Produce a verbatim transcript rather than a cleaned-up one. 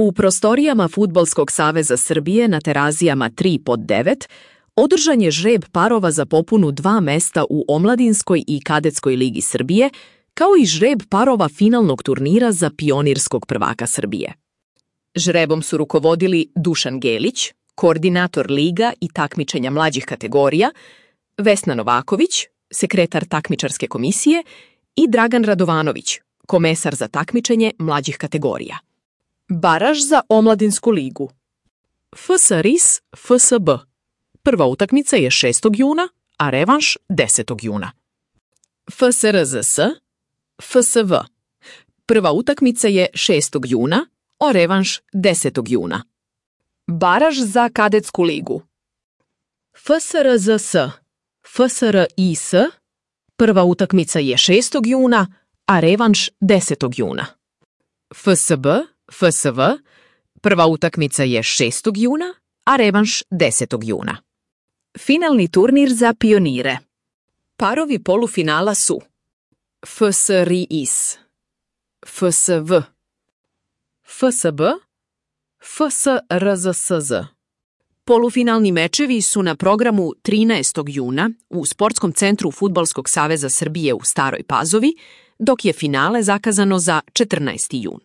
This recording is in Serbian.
U prostorijama Fudbalskog saveza Srbije na Terazijama tri pod devet održan je žreb parova za popunu dva mesta u Omladinskoj i Kadetskoj ligi Srbije, kao i žreb parova finalnog turnira za pionirskog prvaka Srbije. Žrebom su rukovodili Dušan Gelić, koordinator liga i takmičenja mlađih kategorija, Vesna Novaković, sekretar takmičarske komisije, i Dragan Radovanović, komesar za takmičenje mlađih kategorija. Baraž za Omladinsku ligu. F S R I S F S B. Prva utakmica je šestog juna, a revanš desetog juna. F S R Z S F S V. Prva utakmica je šestog juna, a revanš desetog juna. Baraž za Kadetsku ligu. F S R Z S F S R I S. Prva utakmica je šestog juna, a revanš desetog juna. F S B F S V. Prva utakmica je šestog juna, a revanš desetog juna. Finalni turnir za pionire. Parovi polufinala su F S R I S F S V F S B F S R Z S Z. Polufinalni mečevi su na programu trinaestog juna u Sportskom centru Fudbalskog saveza Srbije u Staroj Pazovi, dok je finale zakazano za četrnaesti jun.